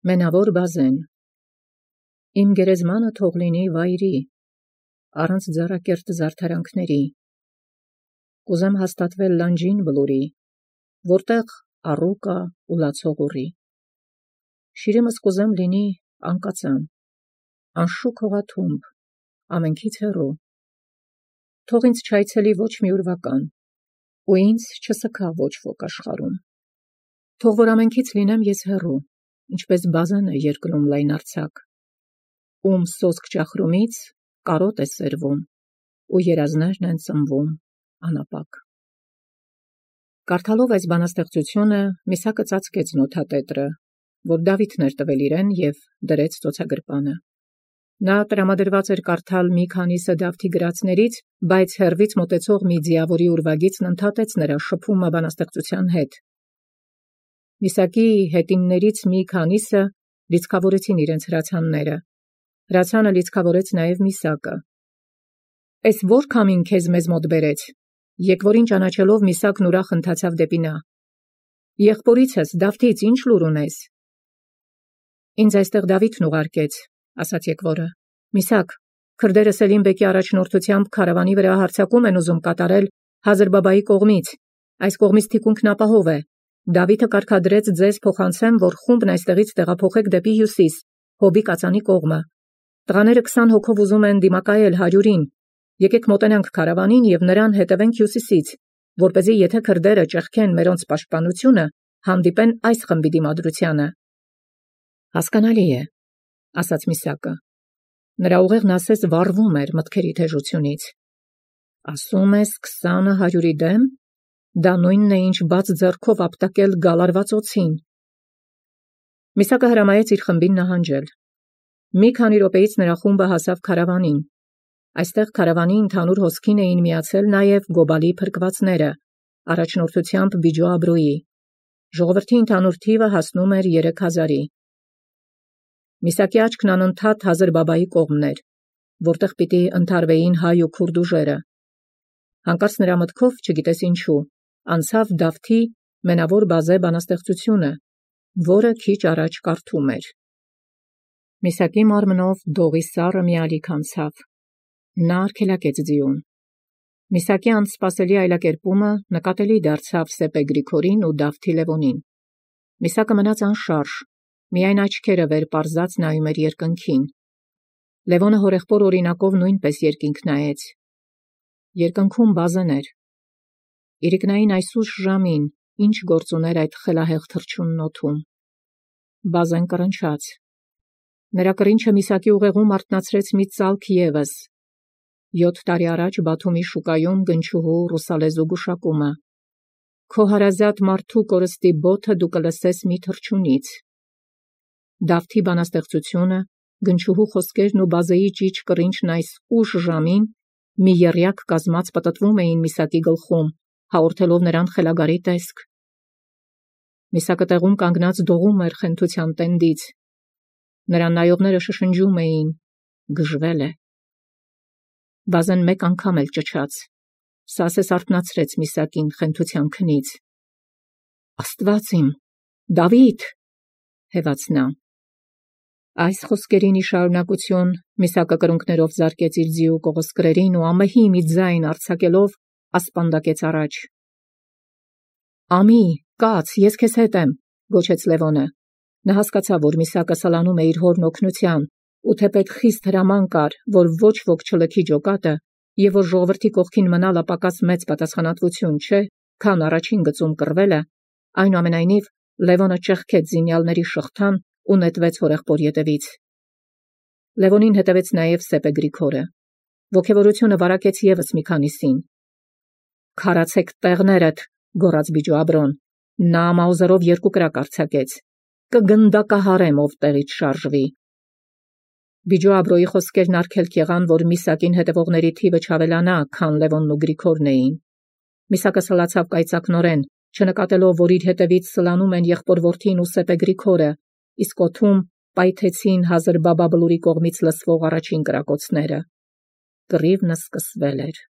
Մենավոր բազեն։ Իմ գերեզմանը թող լինի վայրի, առանց ձեռակերտ զարդարանքների։ Կուզեմ հաստատվել լանջին բլուրի, որտեղ առուկա ու լացող ուռի։ Շիրիմս կուզեմ լինի անկածան, անշուք հողաթումբ, ամենքից հեռու։ Թող ինձ չայցելի ոչ մի ուրվական, ու ինձ չսքա ոչ ոք աշխարհում։ Թող որ ամենքից լինեմ ես հեռու, ինչպես բազենը երկրում լայնարձակ, ում սոսկ ճախրումից կարոտ է սերվում, ու երազներն են ծնվում անապակ։ Կարդալով այս բանաստեղծությունը Միսակը ծածկեց նոթատետրը, որ Դավիթն էր տվել իրեն և դրեց ծոցագրպանը։ Նա տրամադրված էր կարդալ մի քանիսը Դավթի գրածներից, բայց հեռվից մոտեցող մի ձիավորի ուրվագիծն ընդհատեց նրա շփումը բանաստեղծության հետ։ Միսակի հետիններից մի քանիսը լիցքավորեցին իրենց հրացանները։ Հրացանը լիցքավորեց նաև Միսակը։ «Էս որ քամին քեզ մեզ մոտ բերեց»։ Եկվորին ճանաչելով Միսակն ուրախ ընթացավ դեպի նա։ «Եղբորիցս Դավթից ինչ լուր ունես»։ «Ինձ այստեղ Դավիթն ուղարկեց», ասաց եկվորը։ «Միսակ, քրդերը Սելիմ բեկի առաջնորդությամբ քարավանի վրա հարձակում են ուզում կատարել Հազրբաբայի կողմից, այս կողմից թիկունքն ապահով է։ Դավիթը կարգադրեց ձեզ փոխանցեմ, որ խումբն այստեղից տեղափոխեք դեպի հյուսիս, Հոբի կածանի կողմը։ Տղաները 20 հոգով ուզում են դիմակայել 100-ին։ Եկեք մոտենանք քարավանին և նրան հետևենք հյուսիսից, որպեսզի եթե քրդերը ճեղքեն մերոնց պաշտպանությունը, հանդիպեն այս խմբի դիմադրությանը»։ «Հասկանալի է», ասաց Միսակը։ Նրա ուղեղն ասես վառվում էր մտքերի թեժությունից։ «Ասում ես 20-ը 100-ի դեմ, դա նույնն է, ինչ բաց ձեռքով ապտակել գալարված օձին»։ Միսակը հրամայեց իր խմբին նահանջել։ Մի քանի րոպեից նրա խումբը հասավ քարավանին։ Այստեղ քարավանի ընդհանուր հոսքին էին միացել նաև Գոբալի փրկվածները, առաջնորդությամբ Բիջո Աբրոյի։ Ժողովրդի ընդհանուր թիվը հասնում էր 3000-ի։ Միսակի աչքն անընդհատ Հազրբաբայի կողմն էր, որտեղ պիտի ընդհարվեին հայ ու քուրդ ուժերը։ Հանկարծ նրա մտքով, չգիտես ինչու, անցավ Դավթի մենավոր բազե բանաստեղծությունը, որը քիչ առաջ կարդում էր։ Միսակի մարմնով դողի սառը մի ալիք անցավ։ Նա արգելակեց ձիուն։ Միսակի անսպասելի այլակերպումը նկատելի դարձավ Սեպե Գրիգորին ու Դավթի Լևոնին։ Միսակը մնաց անշարժ, միայն աչքերը վեր պարզած նայում էր երկնքին։ Լևոնը հորեղբոր օրինակով նույնպես երկինք նայեց։ Երկնքում բազեն էր։ Իրիկնային այս ուշ ժամին ինչ գործ ուներ այդ խելահեղ թռչունն օդում։ Բազեն կռնչաց։ Նրա կռինչը Միսակի ուղեղում արթնացրեց մի ծալք ևս։ 7 տարի առաջ Բաթումի շուկայում գնչուհու ռուսալեզու գուշակումը. «Քո հարազատ մարդու կորստի բոթը դու կլսես մի թռչունից»։ Դավթի բանաստեղծությունը, գնչուհու խոսքերն ու բազեի ճիչ կռինչն այս ուշ ժամին մի եռյակ կազմած պտտվում էին Միսակի գլխում, հաղորդելով նրան խելագարի տեսք։ Միսակը տեղում կանգնած դողում էր խենթության տենդից։ Նրան նայողները շշնջում էին. «Գժվել է»։ Բազեն մեկ անգամ էլ ճչաց։ Սա ասես արթնացրեց Միսակին խենթության քնից։ «Աստված իմ, Դավիթ», հեվաց նա։ Այս խոսքերին ի շարունակություն Միսակը կրունկներով զարկեց իր ձիու կողոսկրերին ու ամեհի մի ձայն արձակելով ասպանդակեց առաջ։ «Ամի, կաց, ես քեզ հետ եմ», գոչեց Լևոնը։ Նա հասկացավ, որ Միսակը սլանում է իր հորն օգնության, ու թեպետ խիստ հրաման կար, որ ոչ ոք չլքի ջոկատը, և որ ժողովրդի կողքին մնալը պակաս մեծ պատասխանատվություն չէ, քան առաջին գծում կռվելը, այնուամենայնիվ Լևոնը ճեղքեց զինյալների շղթան ու նետվեց հորեղբոր ետևից։ Լևոնին հետևեց նաև Սեպե Գրիգորը։ Ոգևորությունը վարակեց ևս մի քանիսին։ «Քարացեք տեղներդ», գոռաց Բիջո Աբրոն։ Նա մաուզերով 2 կրակ արձակեց։ «Կգնդակահարեմ, ով տեղից շարժվի»։ Բիջո Աբրոյի խոսքերն արգելք եղան, որ Միսակին հետևողների թիվը չավելանա, քան Լևոնն ու Գրիգորն էին։ Միսակը սլացավ կայծակնորեն, չնկատելով, որ իր հետևից սլանում են եղբոր որդին ու Սեպե Գրիգորը, իսկ օդում պայթեցին Հազրբաբա բլուրի կողմից լսվող առաջին կրակոցները։ Կռիվն սկսվել էր։